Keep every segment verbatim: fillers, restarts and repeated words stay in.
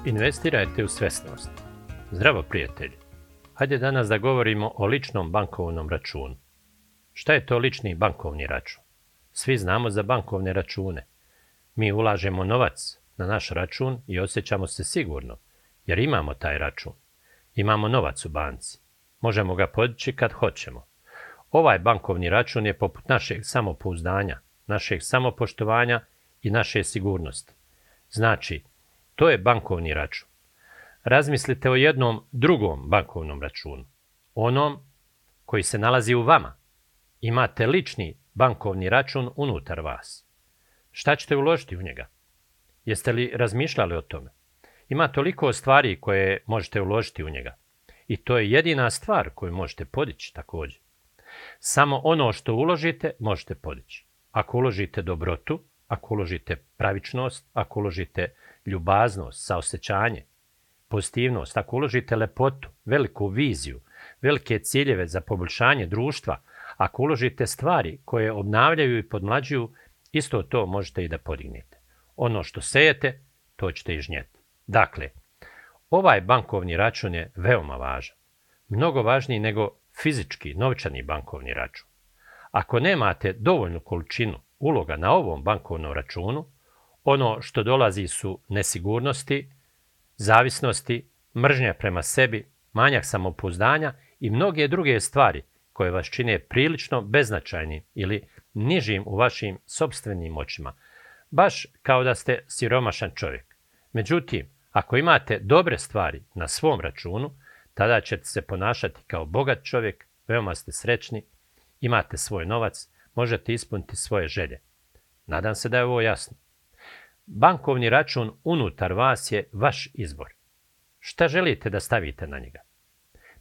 Investirajte u svesnost. Zdravo prijatelji. Hajde danas da govorimo o ličnom bankovnom računu. Šta je to lični bankovni račun? Svi znamo za bankovne račune. Mi ulažemo novac na naš račun i osjećamo se sigurno, jer imamo taj račun. Imamo novac u banci. Možemo ga podići kad hoćemo. Ovaj bankovni račun je poput našeg samopouzdanja, našeg samopoštovanja i naše sigurnosti. Znači, to je bankovni račun. Razmislite o jednom drugom bankovnom računu. Onom koji se nalazi u vama. Imate lični bankovni račun unutar vas. Šta ćete uložiti u njega? Jeste li razmišljali o tome? Ima toliko stvari koje možete uložiti u njega. I to je jedina stvar koju možete podići također. Samo ono što uložite možete podići. Ako uložite dobrotu, ako uložite pravičnost, ako uložite ljubaznost, saosjećanje, pozitivnost, ako uložite lepotu, veliku viziju, velike ciljeve za poboljšanje društva, ako uložite stvari koje obnavljaju i podmlađuju, isto to možete i da podignete. Ono što sejete, to ćete i žnjeti. Dakle, ovaj bankovni račun je veoma važan. Mnogo važniji nego fizički, novčani bankovni račun. Ako nemate dovoljnu količinu uloga na ovom bankovnom računu, ono što dolazi su nesigurnosti, zavisnosti, mržnja prema sebi, manjak samopouzdanja i mnoge druge stvari koje vas čine prilično beznačajnim ili nižim u vašim sopstvenim očima, baš kao da ste siromašan čovjek. Međutim, ako imate dobre stvari na svom računu, tada ćete se ponašati kao bogat čovjek, veoma ste srećni, imate svoj novac, možete ispuniti svoje želje. Nadam se da je ovo jasno. Bankovni račun unutar vas je vaš izbor. Šta želite da stavite na njega?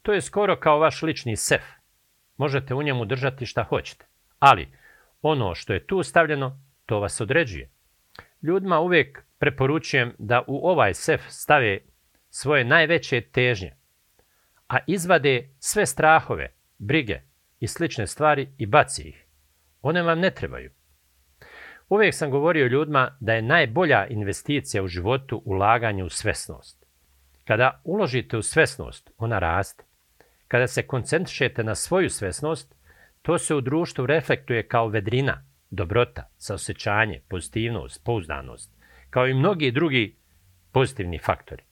To je skoro kao vaš lični sef. Možete u njemu držati šta hoćete, ali ono što je tu stavljeno, to vas određuje. Ljudima uvijek preporučujem da u ovaj sef stave svoje najveće težnje, a izvade sve strahove, brige i slične stvari i baci ih. One vam ne trebaju. Uvijek sam govorio ljudima da je najbolja investicija u životu ulaganje u svesnost. Kada uložite u svesnost, ona raste. Kada se koncentrišete na svoju svesnost, to se u društvu reflektuje kao vedrina, dobrota, saosjećanje, pozitivnost, pouzdanost, kao i mnogi drugi pozitivni faktori.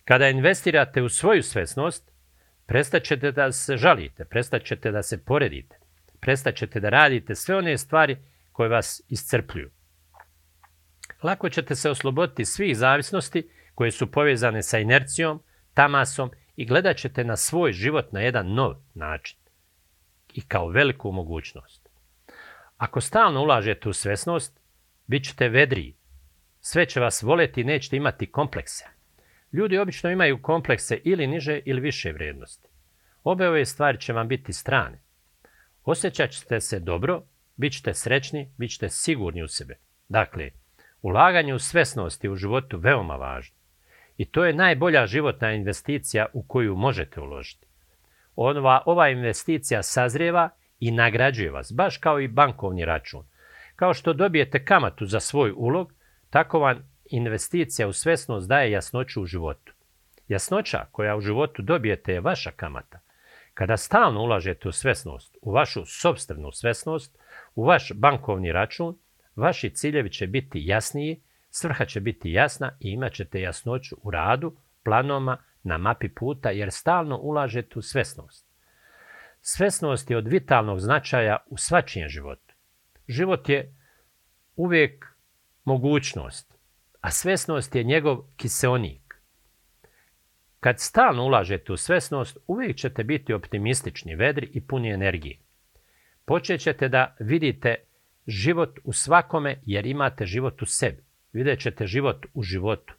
Kada investirate u svoju svesnost, prestat ćete da se žalite, prestat ćete da se poredite, prestat ćete da radite sve one stvari koje vas iscrpljuju. Lako ćete se osloboditi svih zavisnosti koje su povezane sa inercijom, tamasom i gledat ćete na svoj život na jedan nov način i kao veliku mogućnost. Ako stalno ulažete u svesnost, bit ćete vedriji. Sve će vas voljeti i nećete imati komplekse. Ljudi obično imaju komplekse ili niže ili više vrijednosti. Obe ove stvari će vam biti strane. Osjećat ćete se dobro, bit ćete srećni, bit ćete sigurni u sebe. Dakle, ulaganje u svesnost je u životu veoma važno. I to je najbolja životna investicija u koju možete uložiti. Ova, ova investicija sazrijeva i nagrađuje vas, baš kao i bankovni račun. Kao što dobijete kamatu za svoj ulog, tako vam investicija u svesnost daje jasnoću u životu. Jasnoća koja u životu dobijete je vaša kamata. Kada stalno ulažete u svesnost, u vašu sopstvenu svesnost, u vaš bankovni račun, vaši ciljevi će biti jasniji, svrha će biti jasna i imat ćete jasnoću u radu, planovima, na mapi puta jer stalno ulažete u svesnost. Svesnost je od vitalnog značaja u svačijem životu. Život je uvijek mogućnost, a svesnost je njegov kiseonik. Kad stalno ulažete u svesnost, uvijek ćete biti optimistični, vedri i puni energije. Počet ćete da vidite život u svakome jer imate život u sebi. Vidjet ćete život u životu.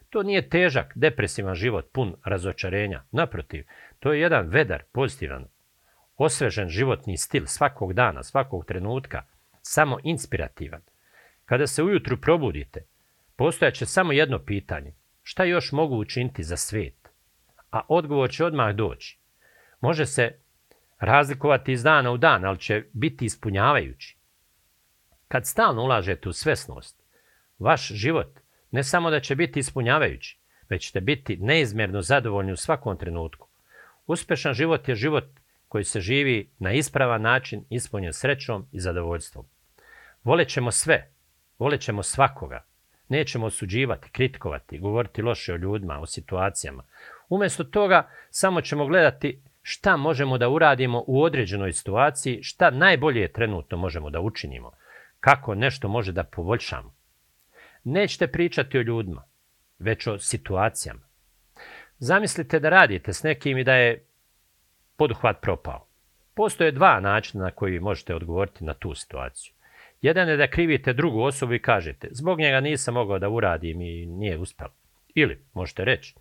To nije težak, depresivan život pun razočarenja. Naprotiv, to je jedan vedar, pozitivan, osvežen životni stil svakog dana, svakog trenutka, samo inspirativan. Kada se ujutru probudite, postojaće samo jedno pitanje. Šta još mogu učiniti za svijet? A odgovor će odmah doći. Može se razlikovati iz dana u dan, ali će biti ispunjavajući. Kad stalno ulažete u svesnost, vaš život ne samo da će biti ispunjavajući, već ćete biti neizmjerno zadovoljni u svakom trenutku. Uspješan život je život koji se živi na ispravan način, ispunjen srećom i zadovoljstvom. Volet ćemo sve, volet ćemo svakoga. Nećemo osuđivati, kritikovati, govoriti loše o ljudima, o situacijama. Umjesto toga samo ćemo gledati šta možemo da uradimo u određenoj situaciji, šta najbolje trenutno možemo da učinimo, kako nešto može da poboljšamo. Nećete pričati o ljudima, već o situacijama. Zamislite da radite s nekim i da je poduhvat propao. Postoje dva načina na koji možete odgovoriti na tu situaciju. Jedan je da krivite drugu osobu i kažete zbog njega nisam mogao da uradim i nije uspjelo. Ili možete reći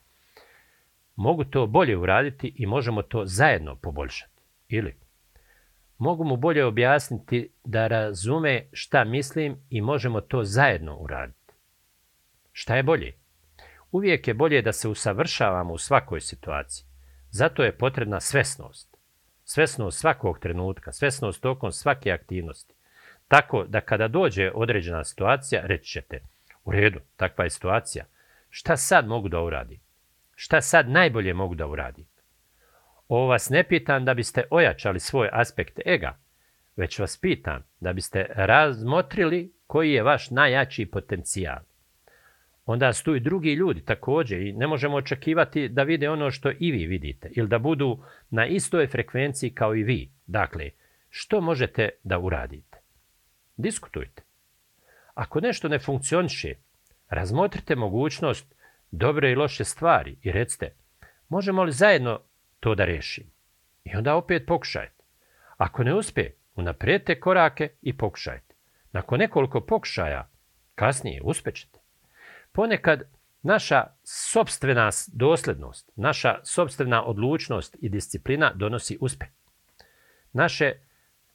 mogu to bolje uraditi i možemo to zajedno poboljšati. Ili mogu mu bolje objasniti da razume šta mislim i možemo to zajedno uraditi. Šta je bolje? Uvijek je bolje da se usavršavamo u svakoj situaciji. Zato je potrebna svesnost. Svesnost svakog trenutka, svesnost tokom svake aktivnosti. Tako da kada dođe određena situacija, reći ćete, u redu, takva je situacija. Šta sad mogu da uradim? Šta sad najbolje mogu da uradim? Ovo vas ne pitam da biste ojačali svoj aspekt ega, već vas pitam da biste razmotrili koji je vaš najjači potencijal. Onda su tu i drugi ljudi također i ne možemo očekivati da vide ono što i vi vidite ili da budu na istoj frekvenciji kao i vi. Dakle, što možete da uradite? Diskutujte. Ako nešto ne funkcioniše, razmotrite mogućnost dobre i loše stvari i recite možemo li zajedno to da riješimo? I onda opet pokušajte. Ako ne uspije, unaprijedite korake i pokušajte. Nakon nekoliko pokušaja, kasnije uspjećete. Ponekad naša sopstvena dosljednost, naša sopstvena odlučnost i disciplina donosi uspjeh. Naše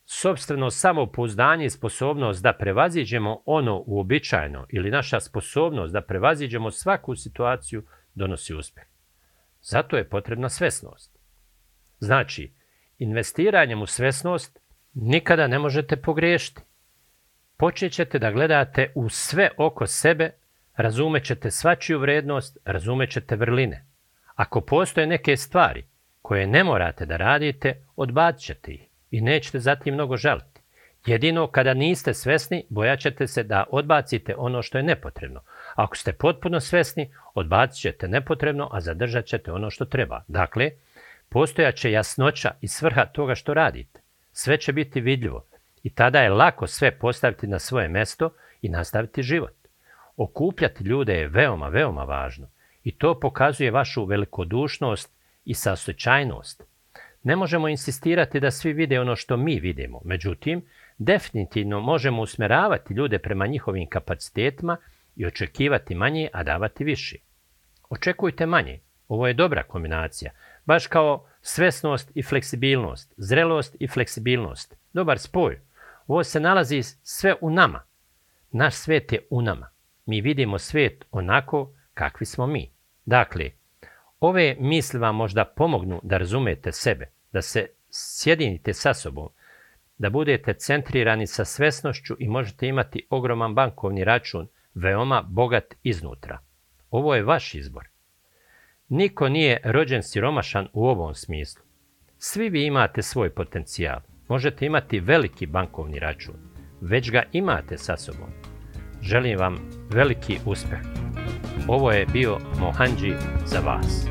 sopstveno samopouzdanje i sposobnost da prevaziđemo ono uobičajeno ili naša sposobnost da prevaziđemo svaku situaciju donosi uspjeh. Zato je potrebna svesnost. Znači, investiranjem u svesnost nikada ne možete pogriješiti. Počet ćete da gledate u sve oko sebe, razumet ćete svačiju vrednost, razumet ćete vrline. Ako postoje neke stvari koje ne morate da radite, odbacit ćete ih i nećete zatim mnogo žaliti. Jedino kada niste svesni, bojat ćete se da odbacite ono što je nepotrebno. Ako ste potpuno svesni, odbacit ćete nepotrebno, a zadržat ćete ono što treba. Dakle, postojat će jasnoća i svrha toga što radite. Sve će biti vidljivo i tada je lako sve postaviti na svoje mjesto i nastaviti život. Okupljati ljude je veoma, veoma važno i to pokazuje vašu velikodušnost i saosećajnost. Ne možemo insistirati da svi vide ono što mi vidimo, međutim, definitivno možemo usmjeravati ljude prema njihovim kapacitetima i očekivati manje, a davati više. Očekujte manje. Ovo je dobra kombinacija, baš kao svesnost i fleksibilnost, zrelost i fleksibilnost. Dobar spoj. Ovo se nalazi sve u nama. Naš svijet je u nama. Mi vidimo svijet onako kakvi smo mi. Dakle, ove misli vam možda pomognu da razumete sebe, da se sjedinite sa sobom, da budete centrirani sa svesnošću i možete imati ogroman bankovni račun, veoma bogat iznutra. Ovo je vaš izbor. Niko nije rođen siromašan u ovom smislu. Svi vi imate svoj potencijal. Možete imati veliki bankovni račun. Već ga imate sa sobom. Želim vam veliki uspjeh. Ovo je bio Mohanđi za vas.